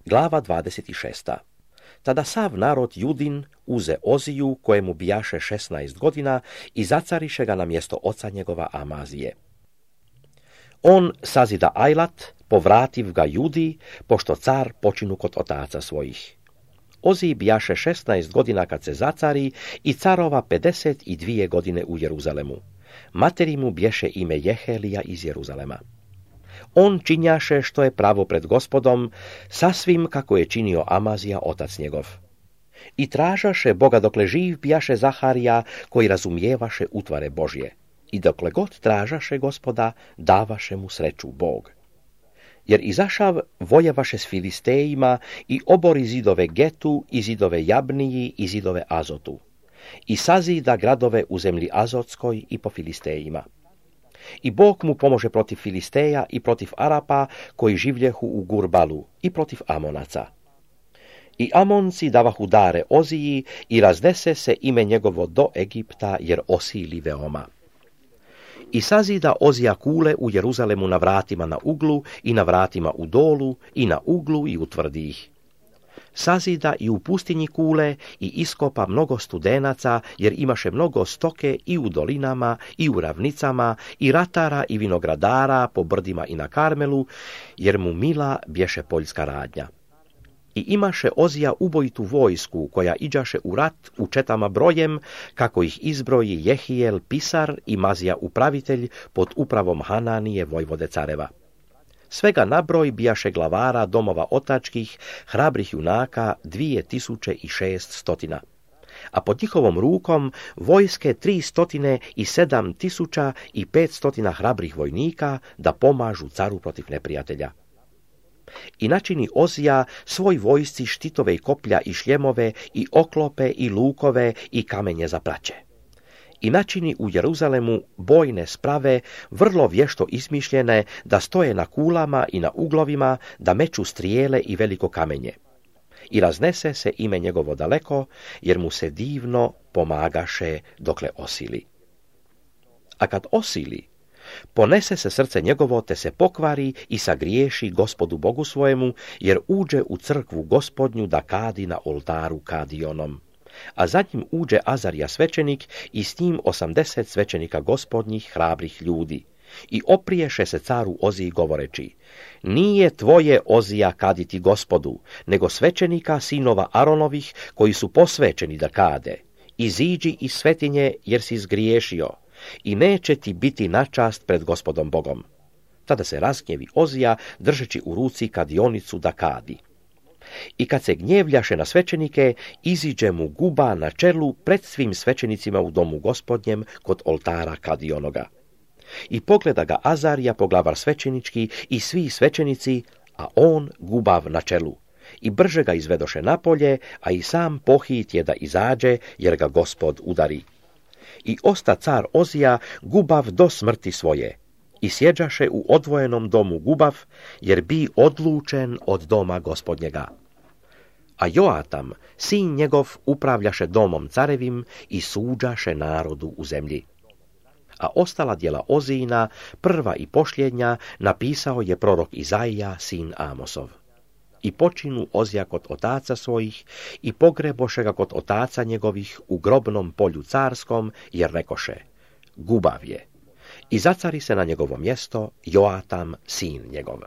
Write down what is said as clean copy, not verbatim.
Glava 26. Tada sav narod Judin uze Oziju, kojemu bijaše 16 godina, i zacariše ga na mjesto oca njegova Amazije. On sazida Ajlat, povrativ ga Judi, pošto car počinu kod otaca svojih. Oziji bijaše 16 godina kad se zacari i carova 52 godine u Jeruzalemu. Materi mu bješe ime Jehelija iz Jeruzalema. On činjaše što je pravo pred Gospodom, sasvim kako je činio Amazija otac njegov. I tražaše Boga dokle živ bijaše Zaharija, koji razumijevaše utvare Božje. I dokle god tražaše Gospoda, davaše mu sreću Bog. Jer izašav vojevaše s Filistejima i obori zidove Getu i zidove Jabniji i zidove Azotu. I sazida gradove u zemlji Azotskoj i po Filistejima. I Bog mu pomože protiv Filisteja i protiv Arapa, koji življehu u Gurbalu, i protiv Amonaca. I Amonci davahu dare Oziji i raznese se ime njegovo do Egipta, jer osili veoma. I sazida Ozija kule u Jeruzalemu na vratima na uglu i na vratima u dolu i na uglu i utvrdi ih. Sazida i u pustinji kule i iskopa mnogo studenaca, jer imaše mnogo stoke i u dolinama i u ravnicama i ratara i vinogradara po brdima i na Karmelu, jer mu mila bješe poljska radnja. I imaše Ozija ubojitu vojsku, koja iđaše u rat u četama brojem, kako ih izbroji Jehijel pisar i Mazija upravitelj pod upravom Hananije vojvode careva. Svega nabroj bijaše glavara domova otačkih, hrabrih junaka 2600, a pod njihovom rukom vojske 307.500 hrabrih vojnika da pomažu caru protiv neprijatelja. I načini Ozija svoj vojsci štitove i koplja i šljemove i oklope i lukove i kamenje za praće. I načini u Jeruzalemu bojne sprave, vrlo vješto izmišljene, da stoje na kulama i na uglovima, da meču strijele i veliko kamenje. I raznese se ime njegovo daleko, jer mu se divno pomagaše dokle osili. A kad osili, ponese se srce njegovo, te se pokvari i sagriješi Gospodu Bogu svojemu, jer uđe u crkvu Gospodnju da kadi na oltaru kadionom. A za njim uđe Azarija svećenik i s njim 80 svećenika Gospodnjih hrabrih ljudi. I opriješe se caru Oziji govoreći: nije tvoje, Ozija, kaditi Gospodu, nego svećenika sinova Aronovih, koji su posvećeni da kade. Iziđi iz svetinje, jer si zgriješio, i neće ti biti na čast pred Gospodom Bogom. Tada se razgnjevi Ozija, držeći u ruci kadionicu da kadi. I kad se gnjevljaše na svećenike, iziđe mu guba na čelu pred svim svećenicima u domu Gospodnjem kod oltara kadionoga. I pogleda ga Azarija, poglavar svećenički, i svi svećenici, a on gubav na čelu. I brže ga izvedoše napolje, a i sam pohit je da izađe, jer ga Gospod udari. I osta car Ozija gubav do smrti svoje. I sjeđaše u odvojenom domu gubav, jer bi odlučen od doma Gospodnjega. A Joatam, sin njegov, upravljaše domom carevim i suđaše narodu u zemlji. A ostala djela Ozijina, prva i posljednja, napisao je prorok Izaija, sin Amosov. I počinu Ozija kod otaca svojih i pogreboše ga kod otaca njegovih u grobnom polju carskom, jer rekoše: gubav je. I zacari se na njegovo mjesto Joatam, sin njegov.